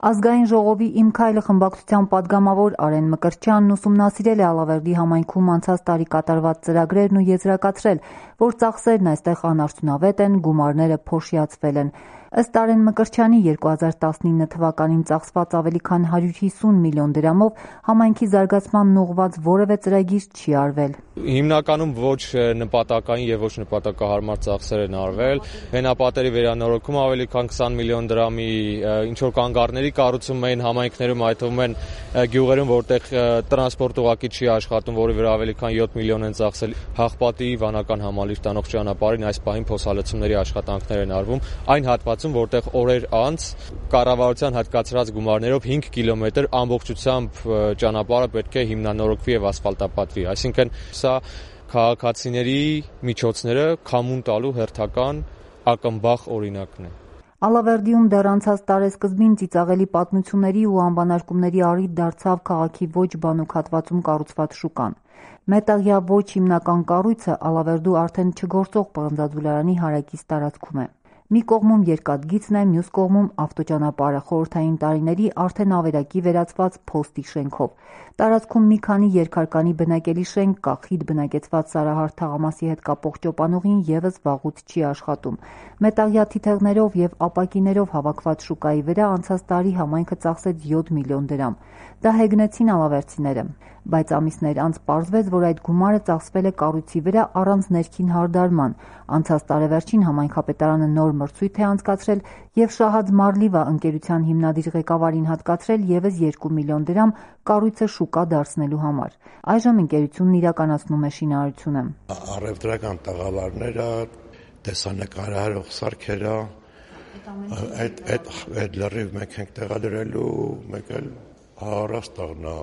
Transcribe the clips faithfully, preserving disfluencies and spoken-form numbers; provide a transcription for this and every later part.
Ազգային ժողովի «Իմ քայլը» խմբակցության պատգամավոր Արեն Մկրտչյանն ուսումնասիրել է Ալավերդի համայնքում անցած տարի կատարված ծրագրերն ու եզրակացրել, որ ծախսերն այստեղ անարդյունավետ են, գումարները փոշիացվել են։ Ըստ Արեն Մկրտչյանի երկու հազար տասնինը թվականին ծախսված ավելի քան հարյուր հիսուն միլիոն դրամով համայնքի զարգացմանն ուղղված որևէ ծրագիր չի արվել։ Հիմնականում ոչ նպատակային եւ ոչ նպատակահարմար ծախսեր են արվել։ Հենապատերի վերանորոգում ավելի քան քսան միլիոն դրամի, ինչ որ կանգառների կառուցում էին համայնքներում, այդ թվում են գյուղերում, որտեղ տրանսպորտ ուղղակի չի աշխատում, որի վրա ավելի քան յոթ միլիոն են ծախսել։ Հաղպատի վանական համալիր տանող ճանապարհին այս պահին փոսալցումների աշխատանքներ են արվում, այն հատվածում, որտեղ օրեր անց կառավարության հատկացրած գումարներով հինգ կիլոմետր ամբողջությամբ ճանապարհը պետք է հիմնանորոգվի եւ ասֆալտապատվի, այսինքն սա քաղաքացիների միջոցները քամուն տալու հերթական ակնբախ օրինակն է։ Ալավերդիում դեռ անցած տարեսկզբին ծիծաղելի պատմությունների ու անվանակումների առիթ դարձավ քաղաքի ոչ բանուկ հատվածում կառուցված շուկան։ Մետաղյա ոչ հիմնական կառույցը Ալավերդու արդեն չգործող պղնձաձուլարանի հարակից տարածքում է։ Մի կողմում երկաթգիծն է, մյուս կողմում ավտոճանապարհը խորհրդային տարիների արդեն ավերակի վերածված փոստի շենքով։ Տարածքում մի քանի երկհարկանի բնակելի շենք կա, խիտ բնակեցված Սարահարթ թաղամասի հետ կապող ճոպանուղին ևս վաղուց չի աշխատում։ Մետաղյա թիթեղներով եւ ապակիներով հավաքված շուկայի վրա անցած տարի համայնքը ծախսեց յոթ միլիոն դրամ։ Դա հեգնեցին ալավերդցիները, բայց ամիսներ անց պարզվեց, որ այդ գումարը ծախսվել է կառույցի վրա առանց ներքին հարդարման։ Անցած տարեվերջին համայնքապետարանը նոր մրցույթ է անցկացրել եւ Շահաձ Մարլիվա ընկերության հիմնադիր ղեկավարին հատկացրել եւս երկու միլիոն դրամ կառույցը շուկա դարձնելու համար։ Այժմ ընկերությունն իրականացնում է շինարարությունը։ Առևտրական տաղավարները, տեսանկարահարող սարքերը, այդ այդ այդ լրիվ մեկ ենք տեղադրելու, մեկ էլ հարաստաղնա։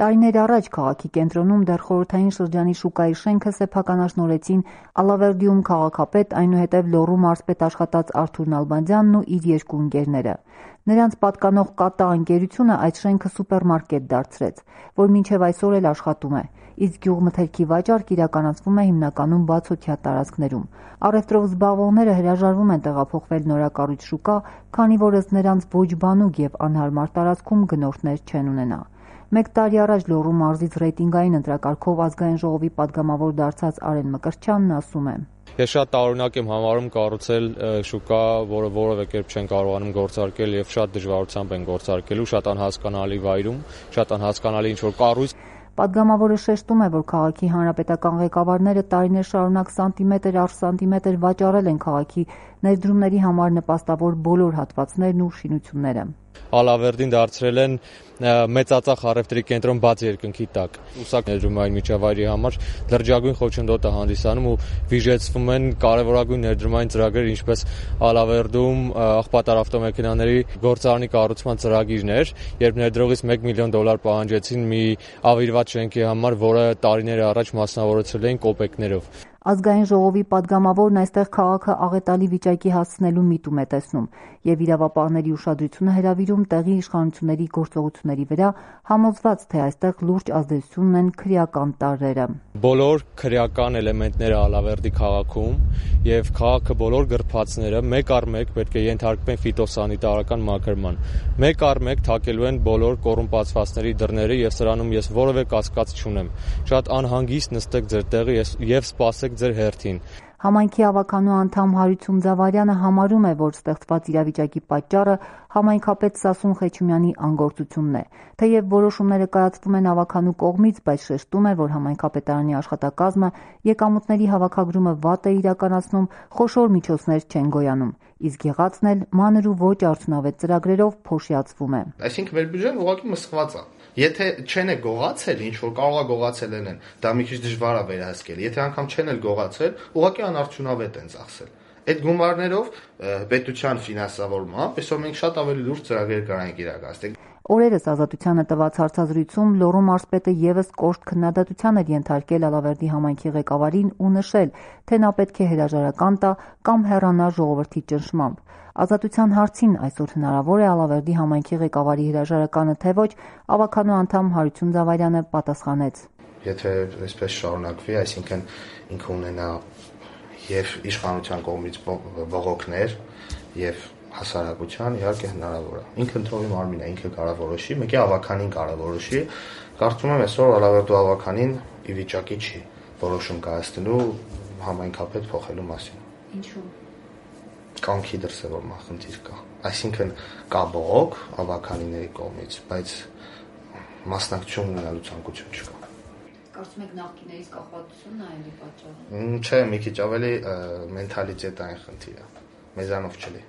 Տարիներ առաջ քաղաքի կենտրոնում դեռ խորհրդային շրջանի շուկայի շենքը սեփականաշնորհեցին Ալավերդիում քաղաքապետ, այնուհետև Լոռու մարզպետ աշխատած Արթուր Նալբանդյանն ու իր երկու ընկերները։ Նրանց պատկանող Կատա ընկերությունը այդ շենքը սուպերմարկետ դարձրեց, որ մինչև այսօր էլ աշխատում է, իսկ գյուղմթերքի վաճառք իրականացվում է հիմնականում բացօթյա տարածքներում։ Առևտրով զբաղվողները հրաժարվում են տեղափոխվել նորակառույց շուկա, քանի որ ըստ նրանց ոչ բանուկ եւ անհարմար տարածքում գնորդներ չեն ունենա։ Մեկ տարի առաջ Լոռու մարզից ռեյտինգային ընտրակարգով ազգային ժողովի պատգամավոր դարձած Արեն Մկրտչյանն ասում է. Ես շատ տարօրինակ եմ համարում կառուցել շուկա, որը որևէ կերպ չեն կարողանում գործարկել եւ շատ դժվարությամբ են գործարկելու, շատ անհասկանալի վայրում, շատ անհասկանալի ինչ-որ կառույց։ Պատգամավորը շեշտում է, որ քաղաքի հանրապետական ղեկավարները տարիներ շարունակ սանտիմետր առ սանտիմետր վաճառել են քաղաքի ներդրումների համար նպաստավոր բոլոր հատվածներն ու շինությունները։ Ալավերդին դարձրել են մեծածախ առևտրի կենտրոն բաց երկնքի տակ։ Ուսակ ներդրումային միջավայրի համար լրջագույն խոչընդոտ է հանդիսանում ու վիժեցվում են կարևորագույն ներդրումային ծրագրեր, ինչպես Ալավերդում աղբատար ավտոմեքենաների գործարանի կառուցման ծրագիրներ, երբ ներդրողից մեկ միլիոն դոլար պահանջեցին մի ավիրված շենքի համար, որը տարիներ առաջ մասնավորեցրել էին կոպեկներով։ Ազգային ժողովի պատգամավորն այստեղ քաղաքը աղետալի վիճակի հասցնելու միտում է տեսնում եւ իրավապահների ուշադրությունը հրավիրում տեղի իշխանությունների գործողությունների վրա, համոզված թե այստեղ լուրջ ազդեցություն ունեն քրեական տարրերը։ Բոլոր քրեական էլեմենտները Ալավերդի քաղաքում եւ քաղաքը բոլոր գրփածները մեկ առ մեկ պետք է ենթարկվեն ֆիտոսանիտարական մաքրման։ Մեկ առ մեկ թակելու են բոլոր կոռումպացվածների դռները եւ սրանում ես որևէ կասկած չունեմ։ Շատ անհանգիստ նստեք ձեր տեղը եւ սպասեք ձեր հերթին։ Համայնքի ավականու անդամ Հարություն Ձավարյանը համարում է, որ ստեղծված իրավիճակի պատճառը համայնքապետ Սասուն Խեչումյանի անգործությունն է։ Թեև որոշումները կայացվում են ավականու կողմից, բայց շեշտում է, որ համայնքապետարանի աշխատակազմը եկամուտների հավաքագրումը վատ է իրականացնում, խոշոր միջոցներ չեն գոյանում, իսկ եղածն էլ մանր ու ոչ արդյունավետ ծրագրերով փոշիացվում է։ Այսինքն մեր բյուջեն ուղղակի մսխված է։ Եթե չեն է գողացել, ինչ որ կարող է գողացել են, դա մի քիչ դժվար է վերահսկել։ Եթե անգամ չեն էլ գողացել, ուղղակի անարդյունավետ են ծախսել։ Այդ գումարներով պետության ֆինանսավորմամբ այսօր մենք շատ ավելի լուրջ ծրագրեր կարանք իրականացնել։ Օրերս Ազատությանը տված հարցազրույցում Լոռու մարզպետը ևս կոշտ քննադատության էր ենթարկել Ալավերդի համայնքի ղեկավարին ու նշել, թե նա պետք է հրաժարական տա կամ հեռանա ժողովրդի ճնշմամբ։ Ազատության հարցին այսօր հնարավոր է Ալավերդի համայնքի ղեկավարի հրաժարականը թե ոչ, ավականու անդամ Հարություն Ձավարյանը պատասխանեց. Եթե այսպես շարունակվի, այսինքն ինքը ունենա եւ իշխանության կողմից բողոքներ եւ հասարակության իհարկե հնարավոր է։ Ինքը ընդհանուր մարմին է, ինքը կարող որոշի, մեկի ավականին կարող որոշի։ Կարծում եմ այսօր Ալավերդու ավականին ի վիճակի չի որոշում կայացնելու համայնքապետ փոխելու մասին։ Ինչու՞։ Կամքի դրսևորման խնդիր կա։ Այսինքն կա բողոք ավականիների կողմից, բայց մասնակցություն ունենալու ցանկություն չկա։ Կարծում եք նախկիներից կախվածությունն է էլի պատճառը։ Չէ, մի քիչ ավելի մենթալիտետային խնդիր է։ Մեզանով չլի։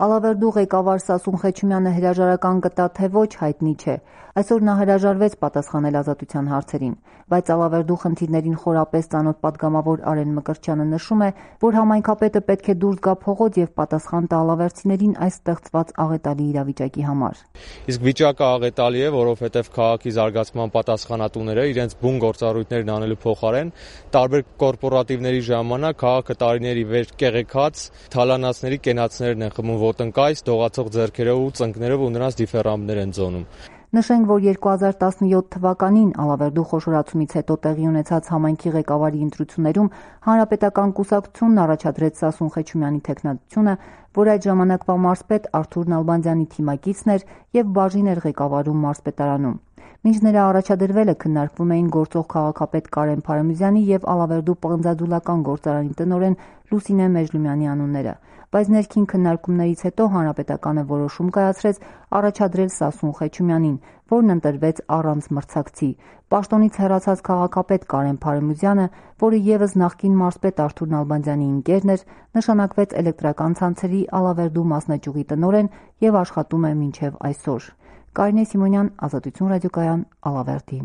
Ալավերդու ղեկավար Սասուն Խեչումյանը հրաժարական կտա, թե ոչ, հայտնի չէ։ Այսօր նա հրաժարվեց պատասխանել ազատության հարցերին, բայց Ալավերդու խնդիրներին խորապես ծանոթ падգամավոր Արեն Մկրտչյանը նշում է, որ համայնքապետը պետք է դուրս գա փողոց եւ պատասխան տա ալավերդցիներին այս ստեղծված աղետալի իրավիճակի համար։ Իսկ վիճակը աղետալի է, որովհետեւ քաղաքի զարգացման պատասխանատուները իրենց բուն գործառույթներն անելու փոխարեն տարբեր կորպորատիվների ժամանակ քաղաքը տարիների վեր կեղեքած թալանացների կենացներն են խմում ոտնկայս, դողացող ձեռքերով ու ծնկներով ու նրանց դիֆերամներ են ձոնում։ Նշենք, որ երկու հազար տասնյոթ թվականին Ալավերդու խոշորացումից հետո տեղի ունեցած համայնքի ղեկավարի ընտրություններում Հանրապետական կուսակցությունն առաջադրեց Սասուն Խեչումյանի թեկնածությունը, որ այդ ժամանակվա մարզպետ Արթուր Նալբանդյանի թիմակիցն էր եւ բաժին էր ղեկավարում մարզպետարանում։ Մինչ նրա առաջադրվելը քննարկվում էին գործող քաղաքապետ Կարեն Փարամյուսյանի եւ Ալավերդու պղնձադուլական գործարանի տնօրեն Լուսինե Մեժլումյանի անունները, բայց ներքին քննարկումներից հետո Հանրապետականը որոշում կայացրեց առաջադրել Սասուն Խեչումյանին, որն ընտրվեց առանց մրցակցի։ Պաշտոնից հեռացած քաղաքապետ Կարեն Փարամյուսյանը, որը ևս նախկին մարզպետ Արթուր Նալբանդյանի ընկերն էր, նշանակվեց էլեկտրական ցանցերի Ալավերդու մասնաճյուղի տնօրեն եւ աշխատում է մինչեւ այսօր։ Կարինե Սիմոնյան, Ազատություն ռադիոկայան, Ալավերդի։